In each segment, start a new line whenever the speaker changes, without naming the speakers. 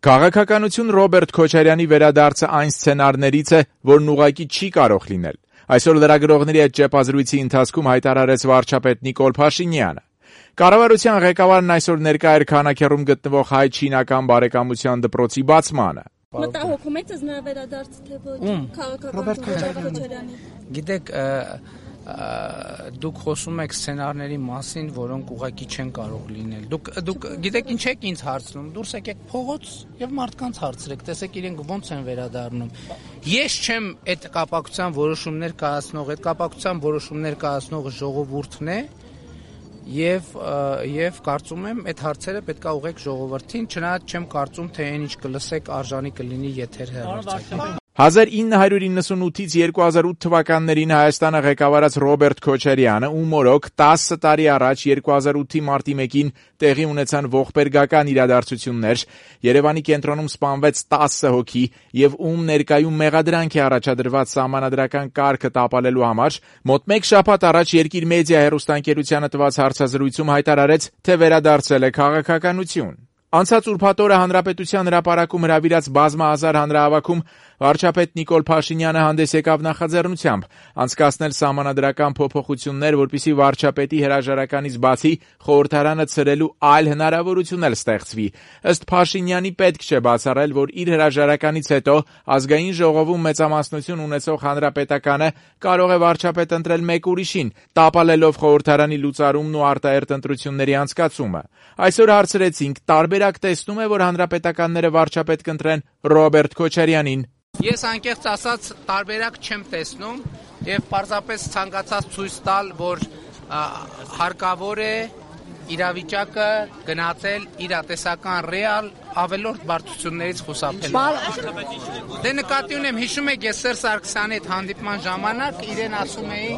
Քաղաքականություն Ռոբերտ Քոչարյանի վերադարձը այն սցենարներից է, որն ուղղակի չի կարող լինել։ Այսօր լրագրողների հետ ճեպազրույցի ընթացքում հայտարարեց վարչապետ Նիկոլ Փաշինյանը։ Կառավարության ղեկավարն այսօր ներկա էր Քանաքեռում գտնվող հայ-չինական բարեկամության դպրոցի բացմանը։
Մտահոգում եք նրա վերադարձը թե ոչ քաղաքական Քոչարյանի։
Գիտեք, դուք խոսում եք սցենարների մասին, որոնք ուղղակի չեն կարող լինել։ Դուք գիտեք ինչ եք ինձ հարցնում, դուրս եկեք փողոց եւ մարդկանց հարցրեք, տեսեք իրենք ոնց են վերադառնում։ Ես չեմ այդ կապակցության որոշումներ կայացնող, այդ կապակցության որոշումներ կայացնողը ժողովուրդն է եւ կարծում եմ այդ հարցերը պետքա ուղղեք ժողովրդին, չնայած չեմ կարծում թե այն ինչ կլսեք արժանի կլինի եթեր հեռարձակի։
1998-ից 2008 թվականներին Հայաստանը ղեկավարած Ռոբերտ Քոչարյանը ու մորոք 10 տարի առաջ 2008-ի մարտի 1-ին տեղի ունեցան ողբերգական իրադարձություններ, Երևանի կենտրոնում սպանվեց 10 հոգի եւ ում ներկայում մեղադրանք է առաջադրված սահմանադրական կարգը տապալելու համար, մոտ մեկ շաբաթ առաջ Երկիր մեդիա հեռուստաընկերությանը տված հարցազրույցում հայտարարեց, թե վերադարձել է քաղաքականություն։ Անցած ուրբաթ օրը Հանրապետության հրապարակում հրավիրած բազմահազար հանրահավաքում վարչապետ Նիկոլ Փաշինյանը հանդես եկավ նախաձեռնությամբ անցկացնել սահմանադրական փոփոխություններ, որպեսզի վարչապետի հրաժարականից բացի խորհրդարանը ցրելու այլ հնարավորություն էլ ստեղծվի։ Ըստ Փաշինյանի պետք չէ բացառել, որ իր հրաժարականից հետո ազգային ժողովում մեծամասնություն ունեցող հանրապետականը կարող է վարչապետ ընտրել մեկ ուրիշին, տապալելով խորհրդարանի լուծարումն ու արտահերթ ընտրությունների անցկացումը։ Այսօր հարցրեցինք, տարբերակ տեսնում է, որ հանրապետականները վարչապետ կընտրեն Ռոբերտ Քոչարյանին։
Ես անկեղծ ասած տարբերակ չեմ տեսնում եւ պարզապես ցանկացած ցույց տալ, որ հարկավոր է իրավիճակը գնահատել իրատեսական ռեալ ավելորդ բարդություններից խուսափել։ Դե նկատի ունեմ, հիշում եք, ես Սերժ Սարգսյանի հետ հանդիպման ժամանակ իրեն ասում էի,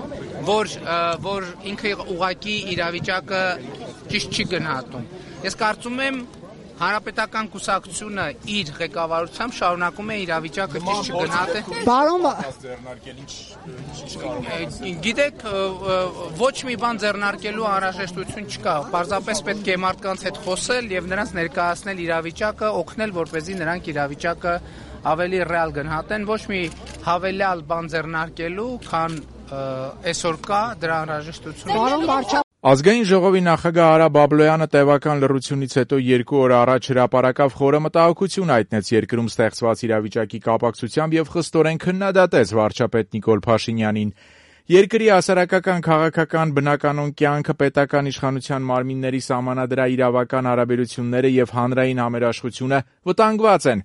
որ ինքը ուղղակի իրավիճակը ճիշտ չի գնահատում։ Ես կարծում եմ Հանրապետական կուսակցությունը իր ղեկավարությամբ շարունակում է իրավիճակը ճիշտ չգնահատել։ Գիտեք, ոչ մի բան ձեռնարկելու անհրաժեշտություն չկա։ Պարզապես պետք է մարդկանց հետ խոսել եւ նրանց ներկայացնել իրավիճակը, օգնել, որպեսզի նրանք իրավիճակը ավելի ռեալ գնահատեն, ոչ մի հավելյալ բան ձեռնարկելու, քան այսօր կա դրա անհրաժեշտությունը։
Ազգային ժողովի նախագահ Արա Բաբլոյանը տևական լռությունից հետո 2 օր առաջ հրապարակավ խորը մտահոգություն հայտնեց երկրում ստեղծված իրավիճակի կապակցությամբ եւ խստորեն քննադատեց վարչապետ Նիկոլ Փաշինյանին։ Երկրի հասարակական, քաղաքական, բնականոն կյանքը, պետական իշխանության մարմինների սահմանադրաիրավական հարաբերությունները եւ հանրային համերաշխությունը վտանգված են,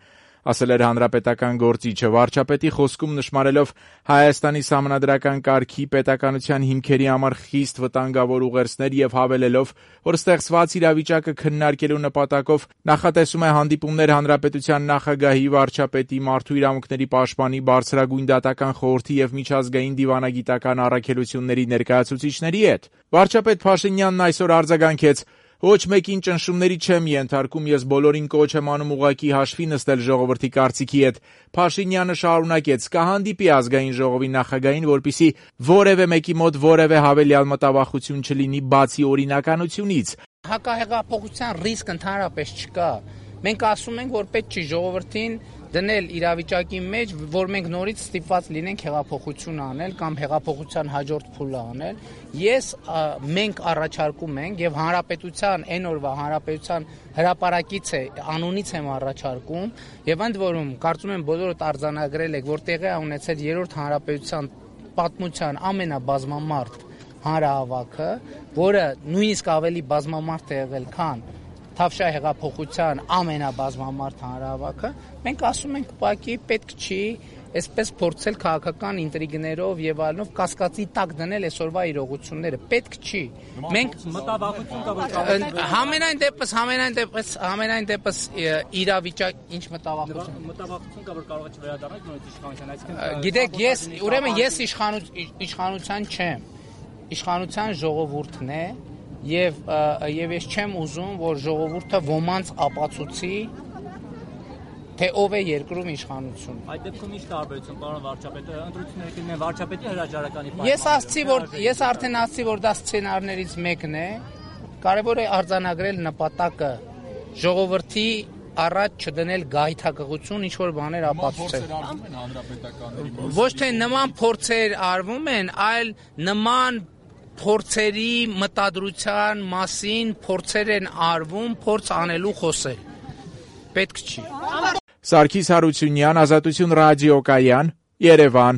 ասել էր հանրապետական գործիչը, վարչապետի խոսքում նշмарելով Հայաստանի սահմանադրական կարգի պետականության հիմքերի համար խիստ վտանգավոր ուղերձներ եւ հավելելով, որ ստեղծված իրավիճակը քննարկելու նպատակով նախատեսում է հանդիպումներ հանրապետության նախագահի, վարչապետի, մարդու իրավունքների պաշտպանի, բարձրագույն դատական խորհրդի եւ միջազգային դիվանագիտական առաքելությունների ներկայացուցիչների հետ։ Վարչապետ Փաշինյանն այսօր արձագանքեց. Ոչ մեկին ճնշումների չեմ ենթարկում, ես բոլորին կոչ եմ անում ուղղակի հաշվի նստել ժողովրդի կարծիքի հետ։ Փաշինյանը շարունակեց. կհանդիպի ազգային ժողովի նախագահին, որպեսզի որևէ մեկի մոտ որևէ հավելյալ մտավախություն չլինի բացի օրինականությունից։
Հակահեղափոխության ռիսկ ընդհանրապես չկա։ Մենք ասում ենք, որ պետք չի ժողովրդին դնել իրավիճակի մեջ, որ մենք նորից ստիպված լինենք հեղափոխություն անել կամ հեղափոխության հաջորդ փուլը անել։ Մենք առաջարկում ենք եւ հանրապետության այն օրվա հանրապետության հրապարակից է անունից եմ առաջարկում եւ ընդ որում կարծում եմ բոլորդ արձանագրել եք, որ տեղի է ունեցել երրորդ հանրապետության պատմության ամենաբազմամարդ հանրահավաքը, որը նույնիսկ ավելի բազմամարդ է եղել, քան Թավշյա հեղափոխության ամենաբազմամարդ հանրահավաքը, մենք ասում ենք ուղղակի պետք չի այսպես փորձել քաղաքական ինտրիգներով եւ այլնով կասկածի տակ դնել այսօրվա իրողությունները, պետք չի։ Մենք
մտավախություն կա, որ
համենայն դեպս իրավիճակ ինչ մտավախություն
կա, որ կարող է չվերադառնալ նորից իշխանության, այսինքն
գիտեք, ես իշխանության չեմ, իշխանության ժողովուրդն է Եվ ես չեմ ուզում, որ ժողովուրդը ոմանց ապացուցի, թե ով է երկրում իշխանություն։
Այդ դեպքում ինչ տարբերություն, պարոն վարչապետը, ընտրությունները կլինեն վարչապետի հրաժարականի
Ես արդեն ասացի, որ դա սցենարներից մեկն է, կարևոր է արձանագրել նպատակը, ժողովրդի առաջ չդնել գայթակղություն, ինչ որ բաներ ապացուցել։ Ոչ թե նման փորձեր արվում են, այլ նման փորձերի մտադրության մասին փորձեր են արվում, փորձ անելու խոսել։ Պետք չի։
Սարգիս Հարությունյան, Ազատություն ռադիոկայան, Երևան։